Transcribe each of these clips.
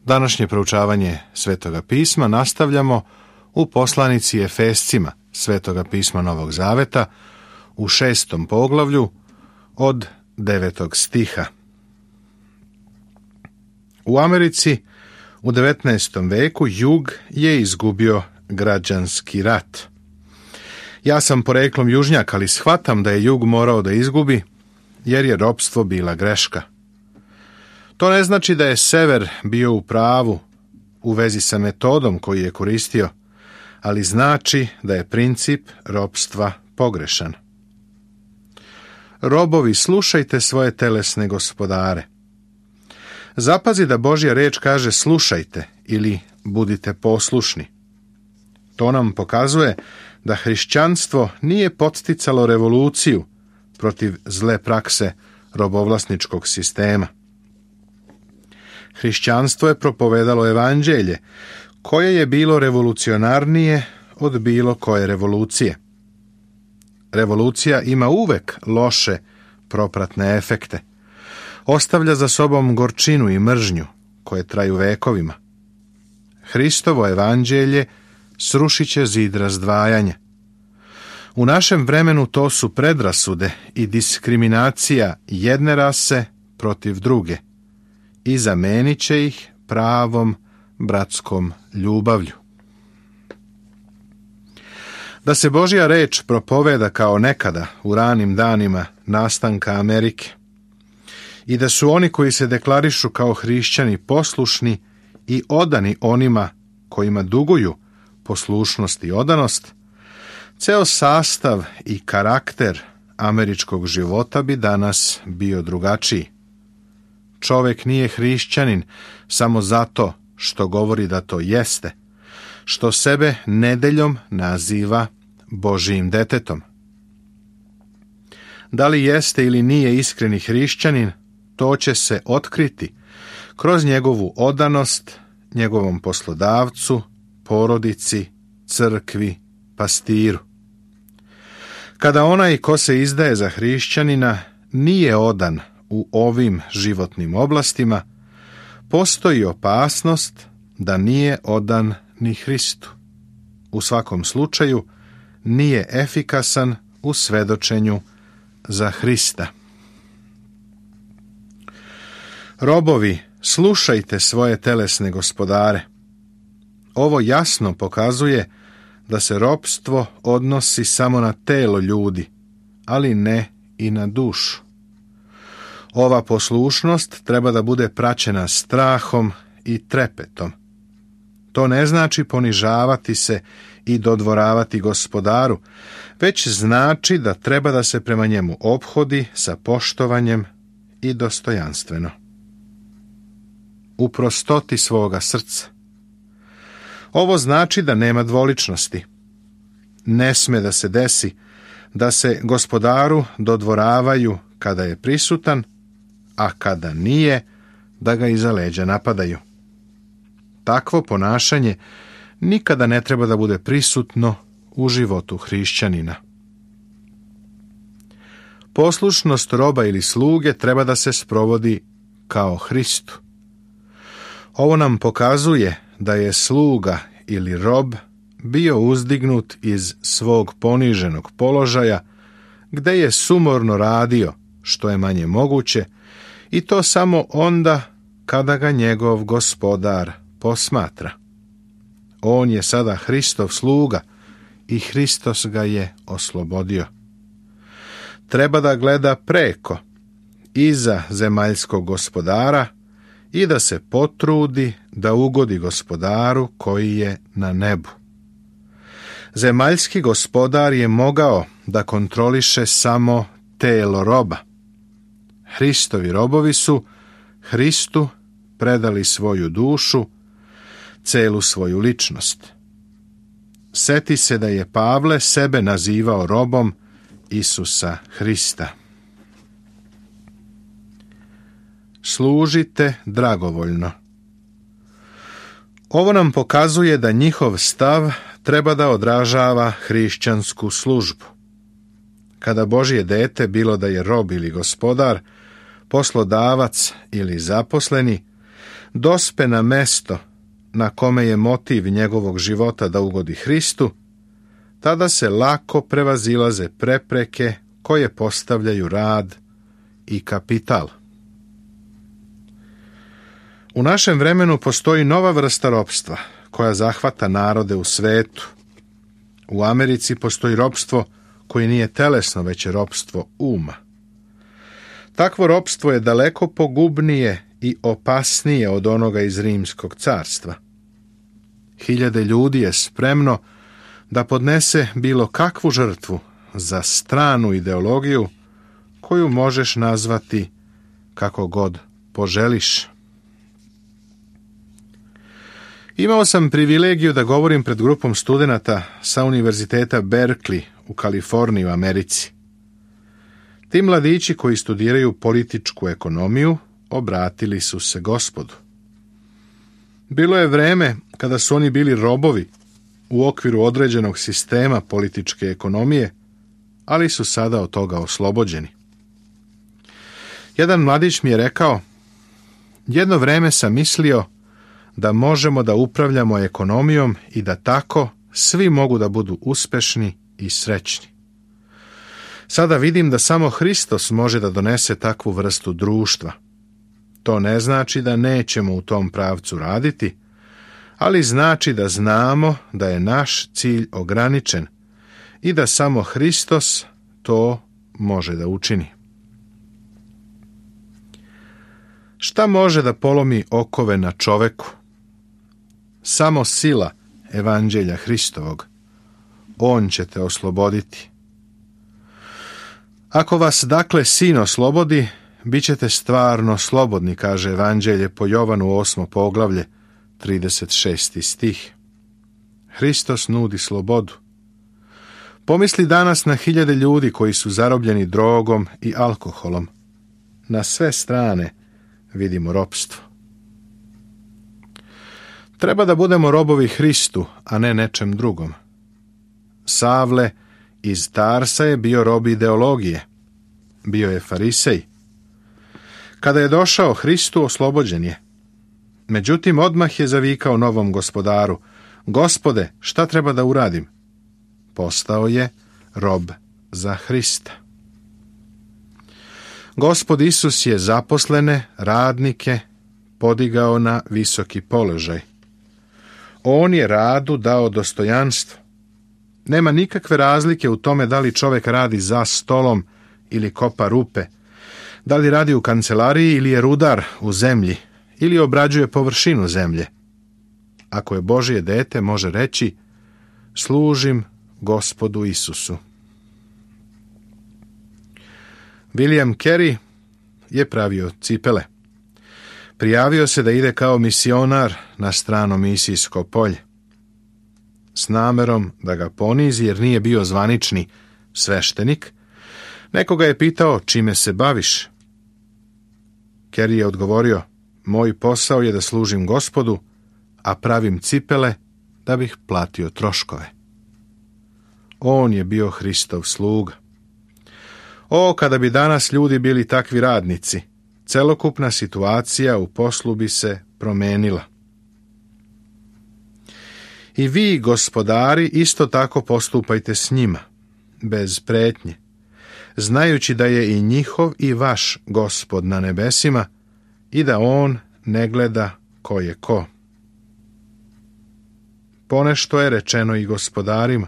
Današnje proučavanje Svetoga pisma nastavljamo u poslanici Efescima Svetoga pisma Novog Zaveta u 6. poglavlju od 9. stiha. U Americi u 19. veku jug je izgubio građanski rat. Ja sam poreklom južnjak, ali shvatam da je jug morao da izgubi, jer je ropstvo bila greška. To ne znači da je sever bio u pravu u vezi sa metodom koju je koristio, ali znači da je princip ropstva pogrešan. Robovi, slušajte svoje telesne gospodare. Zapazi da Božja reč kaže slušajte ili budite poslušni. To nam pokazuje da hrišćanstvo nije podsticalo revoluciju protiv zle prakse robovlasničkog sistema. Hrišćanstvo je propovedalo evanđelje, koje je bilo revolucionarnije od bilo koje revolucije. Revolucija ima uvek loše propratne efekte. Ostavlja za sobom gorčinu i mržnju, koje traju vekovima. Hristovo evanđelje srušit će zid razdvajanja. U našem vremenu to su predrasude i diskriminacija jedne rase protiv druge i zamenit će ih pravom bratskom ljubavlju. Da se Božja reč propoveda kao nekada u ranim danima nastanka Amerike i da su oni koji se deklarišu kao hrišćani poslušni i odani onima kojima duguju poslušnost i odanost, ceo sastav i karakter američkog života bi danas bio drugačiji. Čovek nije hrišćanin samo zato što govori da to jeste, što sebe nedeljom naziva Božijim detetom. Da li jeste ili nije iskreni hrišćanin, to će se otkriti kroz njegovu odanost njegovom poslodavcu, porodici, crkvi, pastiru. Kada onaj ko se izdaje za hrišćanina nije odan u ovim životnim oblastima, postoji opasnost da nije odan ni Hristu. U svakom slučaju nije efikasan u svedočenju za Hrista. Robovi, slušajte svoje telesne gospodare. Ovo jasno pokazuje da se ropstvo odnosi samo na telo ljudi, ali ne i na dušu. Ova poslušnost treba da bude praćena strahom i trepetom. To ne znači ponižavati se i dodvoravati gospodaru, već znači da treba da se prema njemu ophodi sa poštovanjem i dostojanstveno. U prostoti svoga srca. Ovo znači da nema dvoličnosti. Ne sme da se desi da se gospodaru dodvoravaju kada je prisutan, a kada nije, da ga iza leđa napadaju. Takvo ponašanje nikada ne treba da bude prisutno u životu hrišćanina. Poslušnost roba ili sluge treba da se sprovodi kao Hristu. Ovo nam pokazuje da je sluga ili rob bio uzdignut iz svog poniženog položaja, gde je sumorno radio što je manje moguće, i to samo onda kada ga njegov gospodar posmatra. On je sada Hristov sluga i Hristos ga je oslobodio. Treba da gleda preko, iza zemaljskog gospodara i da se potrudi da ugodi gospodaru koji je na nebu. Zemaljski gospodar je mogao da kontroliše samo telo roba. Hristovi robovi su Hristu predali svoju dušu, celu svoju ličnost. Seti se da je Pavle sebe nazivao robom Isusa Hrista. Služite dragovoljno. Ovo nam pokazuje da njihov stav treba da odražava hrišćansku službu. Kada Božje dete, bilo da je rob ili gospodar, poslodavac ili zaposleni, dospe na mesto na kome je motiv njegovog života da ugodi Hristu, tada se lako prevazilaze prepreke koje postavljaju rad i kapital. U našem vremenu postoji nova vrsta ropstva koja zahvata narode u svetu. U Americi postoji ropstvo koje nije telesno, već je ropstvo uma. Takvo ropstvo je daleko pogubnije i opasnije od onoga iz Rimskog carstva. Hiljade ljudi je spremno da podnese bilo kakvu žrtvu za stranu ideologiju koju možeš nazvati kako god poželiš. Imao sam privilegiju da govorim pred grupom studenata sa Univerziteta Berkeley u Kaliforniji u Americi. Ti mladići koji studiraju političku ekonomiju obratili su se Gospodu. Bilo je vreme kada su oni bili robovi u okviru određenog sistema političke ekonomije, ali su sada od toga oslobođeni. Jedan mladić mi je rekao: jedno vreme sam mislio da možemo da upravljamo ekonomijom i da tako svi mogu da budu uspešni i srećni. Sada vidim da samo Hristos može da donese takvu vrstu društva. To ne znači da nećemo u tom pravcu raditi, ali znači da znamo da je naš cilj ograničen i da samo Hristos to može da učini. Šta može da polomi okove na čoveku? Samo sila evanđelja Hristovog. On će te osloboditi. Ako vas dakle Sin oslobodi, bit ćete stvarno slobodni, kaže evanđelje po Jovanu 8. poglavlje, 36. stih. Hristos nudi slobodu. Pomisli danas na hiljade ljudi koji su zarobljeni drogom i alkoholom. Na sve strane vidimo ropstvo. Treba da budemo robovi Hristu, a ne nečem drugom. Savle iz Tarsa je bio rob ideologije. Bio je farisej. Kada je došao Hristu, oslobođen je. Međutim, odmah je zavikao novom gospodaru: Gospode, šta treba da uradim? Postao je rob za Hrista. Gospod Isus je zaposlene, radnike, podigao na visoki položaj. On je radu dao dostojanstvo. Nema nikakve razlike u tome da li čovjek radi za stolom ili kopa rupe, da li radi u kancelariji ili je rudar u zemlji, ili obrađuje površinu zemlje. Ako je Božje dete, može reći: služim Gospodu Isusu. William Carey je pravio cipele. Prijavio se da ide kao misionar na strano misijsko polje. S namerom da ga ponizi jer nije bio zvanični sveštenik, nekoga je pitao: čime se baviš? Carey je odgovorio: moj posao je da služim Gospodu, a pravim cipele da bih platio troškove. On je bio Hristov sluga. O, kada bi danas ljudi bili takvi radnici, celokupna situacija u poslu bi se promenila. I vi, gospodari, isto tako postupajte s njima, bez pretnje, znajući da je i njihov i vaš Gospod na nebesima i da on ne gleda ko je ko. Ponešto je rečeno i gospodarima: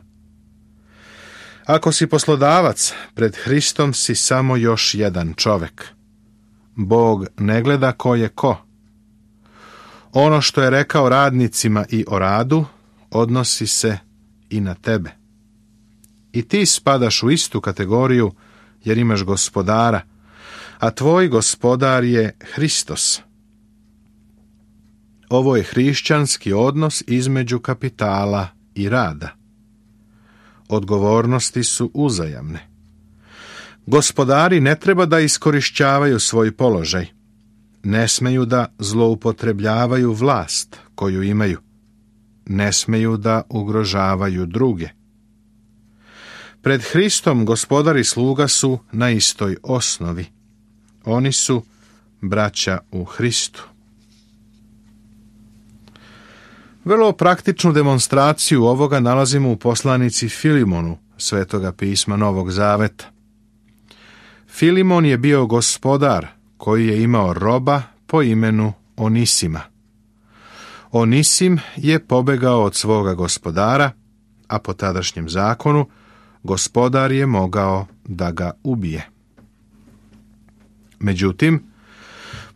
ako si poslodavac, pred Hristom si samo još jedan čovek. Bog ne gleda ko je ko. Ono što je rekao radnicima i o radu, odnosi se i na tebe. I ti spadaš u istu kategoriju jer imaš gospodara, a tvoj gospodar je Hristos. Ovo je hrišćanski odnos između kapitala i rada. Odgovornosti su uzajamne. Gospodari ne treba da iskorišćavaju svoj položaj. Ne smeju da zloupotrebljavaju vlast koju imaju. Ne smeju da ugrožavaju druge. Pred Hristom gospodar i sluga su na istoj osnovi. Oni su braća u Hristu. Vrlo praktičnu demonstraciju ovoga nalazimo u poslanici Filimonu Svetoga pisma Novog Zaveta. Filimon je bio gospodar koji je imao roba po imenu Onisima. Onisim je pobegao od svoga gospodara, a po tadašnjem zakonu gospodar je mogao da ga ubije. Međutim,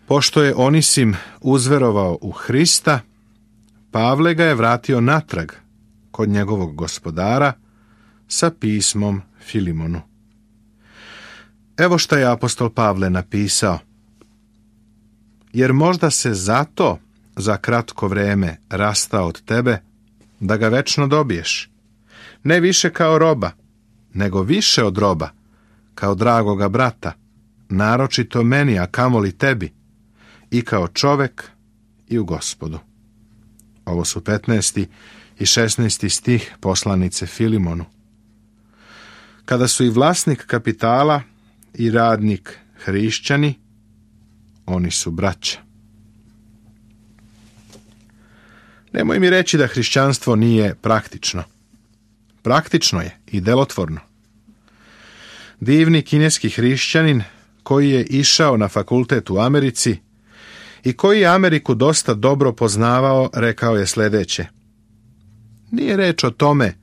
pošto je Onisim uzverovao u Hrista, Pavle ga je vratio natrag kod njegovog gospodara sa pismom Filimonu. Evo šta je apostol Pavle napisao. Jer možda se zato za kratko vreme rastao od tebe, da ga večno dobiješ. Ne više kao roba, nego više od roba, kao dragoga brata, naročito meni, a kamoli tebi, i kao čovek i u Gospodu. Ovo su 15. i 16. stih poslanice Filimonu. Kada su i vlasnik kapitala i radnik hrišćani, oni su braća. Nemoj mi reći da hrišćanstvo nije praktično. Praktično je i delotvorno. Divni kineski hrišćanin koji je išao na fakultet u Americi i koji je Ameriku dosta dobro poznavao, rekao je sljedeće. Nije reč o tome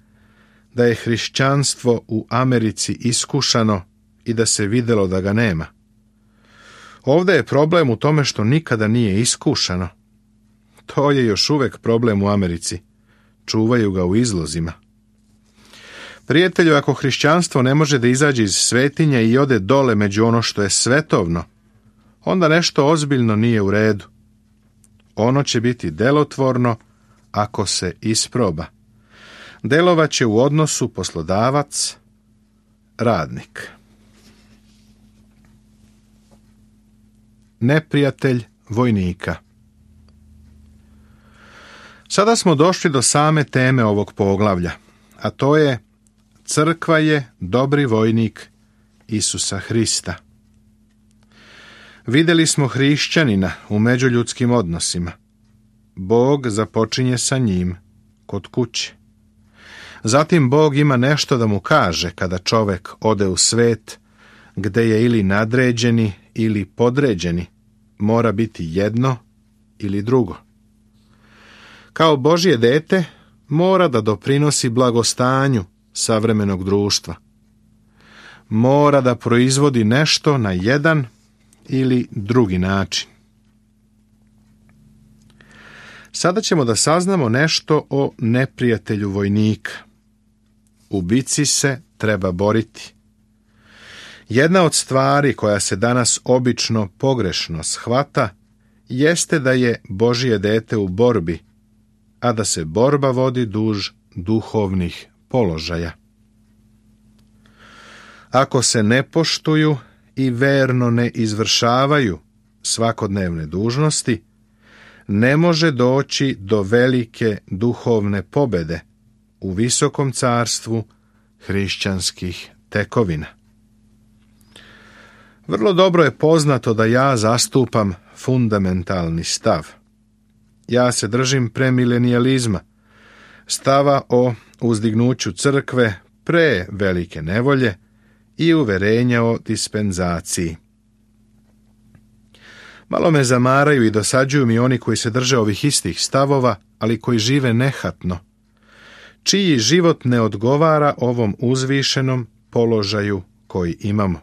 da je hrišćanstvo u Americi iskušano i da se vidjelo da ga nema. Ovdje je problem u tome što nikada nije iskušano. To je još uvijek problem u Americi. Čuvaju ga u izlozima. Prijatelju, ako hrišćanstvo ne može da izađe iz svetinje i ode dole među ono što je svetovno, onda nešto ozbiljno nije u redu. Ono će biti delotvorno ako se isproba. Delovaće u odnosu poslodavac-radnik. Neprijatelj vojnika. Sada smo došli do same teme ovog poglavlja, a to je crkva je dobri vojnik Isusa Hrista. Vidjeli smo hrišćanina u međuljudskim odnosima. Bog započinje sa njim kod kuće. Zatim Bog ima nešto da mu kaže kada čovek ode u svet, gde je ili nadređeni ili podređeni, mora biti jedno ili drugo. Kao Božje dete mora da doprinosi blagostanju savremenog društva. Mora da proizvodi nešto na jedan ili drugi način. Sada ćemo da saznamo nešto o neprijatelju vojnika. U bici se treba boriti. Jedna od stvari koja se danas obično pogrešno shvata jeste da je Božje dete u borbi, a da se borba vodi duž duhovnih položaja. Ako se ne poštuju i verno ne izvršavaju svakodnevne dužnosti, ne može doći do velike duhovne pobede u visokom carstvu hrišćanskih tekovina. Vrlo dobro je poznato da ja zastupam fundamentalni stav. Ja se držim premilenijalizma, stava o uzdignuću crkve pre velike nevolje i uverenja o dispenzaciji. Malo me zamaraju i dosađuju mi oni koji se drže ovih istih stavova, ali koji žive nehatno, čiji život ne odgovara ovom uzvišenom položaju koji imamo.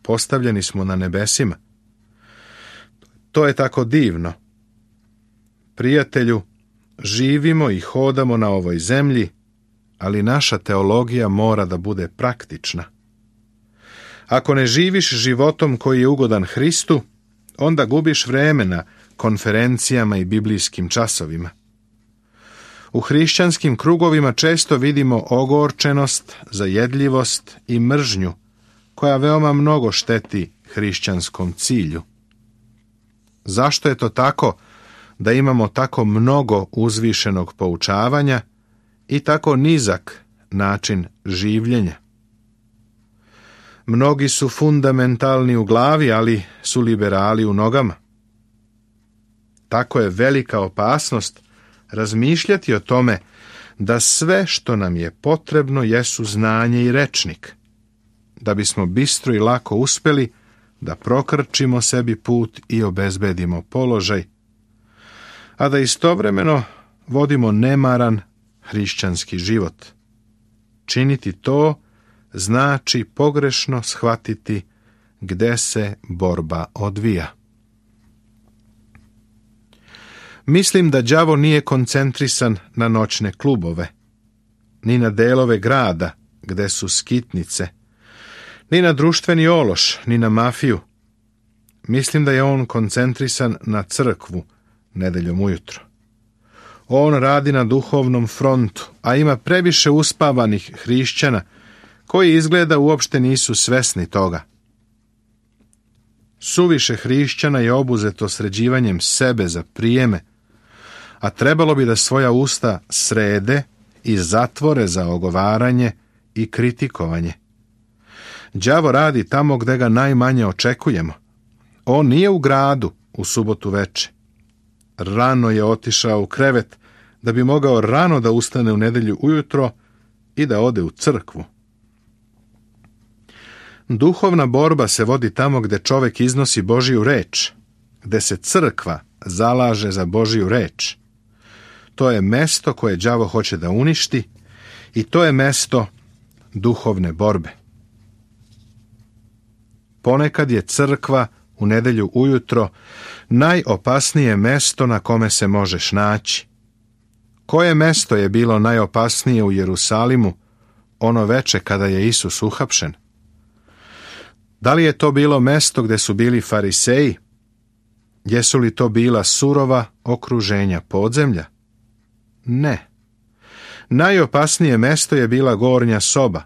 Postavljeni smo na nebesima. To je tako divno. Prijatelju, živimo i hodamo na ovoj zemlji, ali naša teologija mora da bude praktična. Ako ne živiš životom koji je ugodan Hristu, onda gubiš vreme na konferencijama i biblijskim časovima. U hrišćanskim krugovima često vidimo ogorčenost, zajedljivost i mržnju, koja veoma mnogo šteti hrišćanskom cilju. Zašto je to tako da imamo tako mnogo uzvišenog poučavanja i tako nizak način življenja? Mnogi su fundamentalni u glavi, ali su liberali u nogama. Tako je velika opasnost razmišljati o tome da sve što nam je potrebno jesu znanje i rečnik, da bismo bistro i lako uspjeli da prokrčimo sebi put i obezbedimo položaj, a da istovremeno vodimo nemaran hrišćanski život. Činiti to znači pogrešno shvatiti gde se borba odvija. Mislim da đavo nije koncentrisan na noćne klubove, ni na delove grada gde su skitnice, ni na društveni ološ, ni na mafiju. Mislim da je on koncentrisan na crkvu nedeljom ujutro. On radi na duhovnom frontu, a ima previše uspavanih hrišćana koji izgleda uopšte nisu svesni toga. Suviše hrišćana je obuzeto sređivanjem sebe za prijeme, a trebalo bi da svoja usta srede i zatvore za ogovaranje i kritikovanje. Đavo radi tamo gde ga najmanje očekujemo. On nije u gradu u subotu veče. Rano je otišao u krevet da bi mogao rano da ustane u nedelju ujutro i da ode u crkvu. Duhovna borba se vodi tamo gde čovek iznosi Božiju reč, gde se crkva zalaže za Božiju reč. To je mesto koje đavo hoće da uništi i to je mesto duhovne borbe. Ponekad je crkva u nedelju ujutro najopasnije mesto na kome se možeš naći. Koje mesto je bilo najopasnije u Jerusalimu ono veče kada je Isus uhapšen? Da li je to bilo mesto gde su bili fariseji? Jesu li to bila surova okruženja podzemlja? Ne. Najopasnije mesto je bila gornja soba,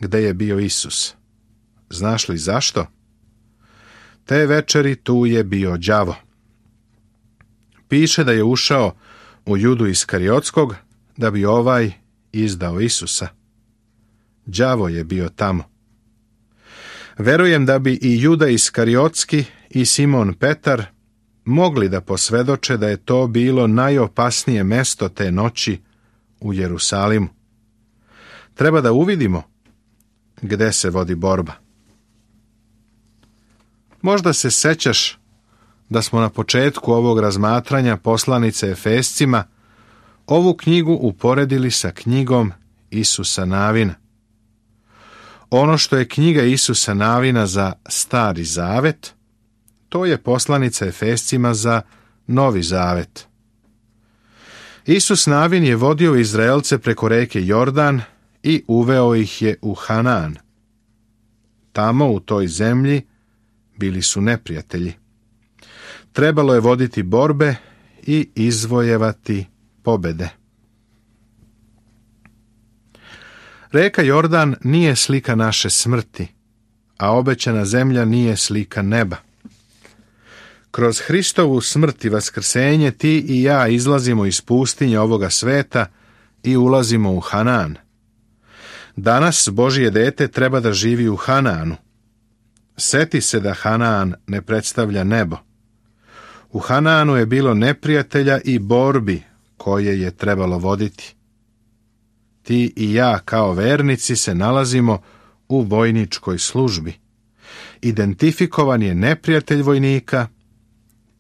gde je bio Isus. Znaš li zašto? Te večeri tu je bio đavo. Piše da je ušao u Judu Iskariotskog da bi ovaj izdao Isusa. Đavo je bio tamo. Verujem da bi i Juda Iskariotski i Simon Petar mogli da posvedoče da je to bilo najopasnije mesto te noći u Jerusalimu. Treba da uvidimo gde se vodi borba. Možda se sećaš da smo na početku ovog razmatranja poslanice Efescima ovu knjigu uporedili sa knjigom Isusa Navina. Ono što je knjiga Isusa Navina za Stari Zavet, to je poslanica Efescima za Novi Zavet. Isus Navin je vodio Izraelce preko reke Jordan i uveo ih je u Hanaan. Tamo u toj zemlji bili su neprijatelji. Trebalo je voditi borbe i izvojevati pobede. Reka Jordan nije slika naše smrti, a obećana zemlja nije slika neba. Kroz Hristovu smrt i vaskrsenje ti i ja izlazimo iz pustinje ovoga sveta i ulazimo u Hanaan. Danas Božje dete treba da živi u Hanaanu. Seti se da Hanaan ne predstavlja nebo. U Hanaanu je bilo neprijatelja i borbi koje je trebalo voditi. Ti i ja kao vernici se nalazimo u vojničkoj službi. Identifikovan je neprijatelj vojnika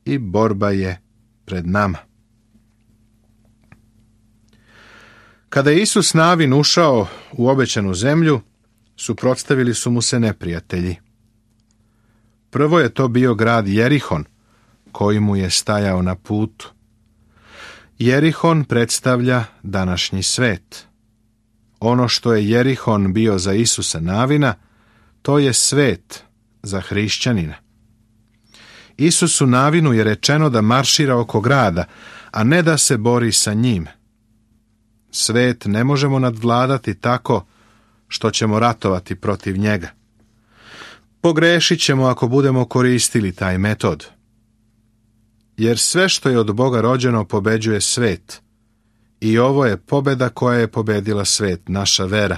i borba je pred nama. Kada je Isus Navin ušao u obećanu zemlju, suprotstavili su mu se neprijatelji. Prvo je to bio grad Jerihon, koji mu je stajao na putu. Jerihon predstavlja današnji svet. Ono što je Jerihon bio za Isusa Navina, to je svet za hrišćanina. Isusu Navinu je rečeno da maršira oko grada, a ne da se bori sa njim. Svet ne možemo nadvladati tako što ćemo ratovati protiv njega. Pogrešit ćemo ako budemo koristili taj metod. Jer sve što je od Boga rođeno pobeđuje svet. I ovo je pobeda koja je pobedila svet, naša vera.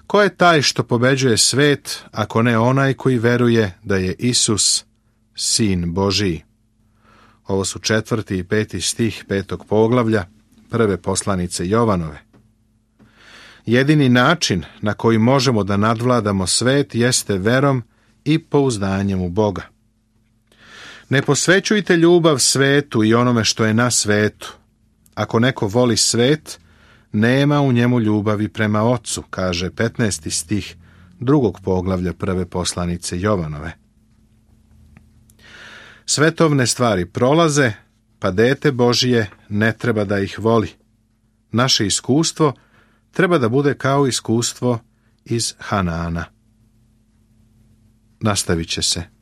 Ko je taj što pobeđuje svet, ako ne onaj koji veruje da je Isus Sin Božiji? Ovo su 4. i 5. stih 5. poglavlja prve poslanice Jovanove. Jedini način na koji možemo da nadvladamo svet jeste verom i pouzdanjem u Boga. Ne posvećujte ljubav svetu i onome što je na svetu. Ako neko voli svet, nema u njemu ljubavi prema Ocu, kaže 15. stih 2. poglavlja prve poslanice Jovanove. Svetovne stvari prolaze, pa dete Božije ne treba da ih voli. Naše iskustvo treba da bude kao iskustvo iz Hanaana. Nastavit će se.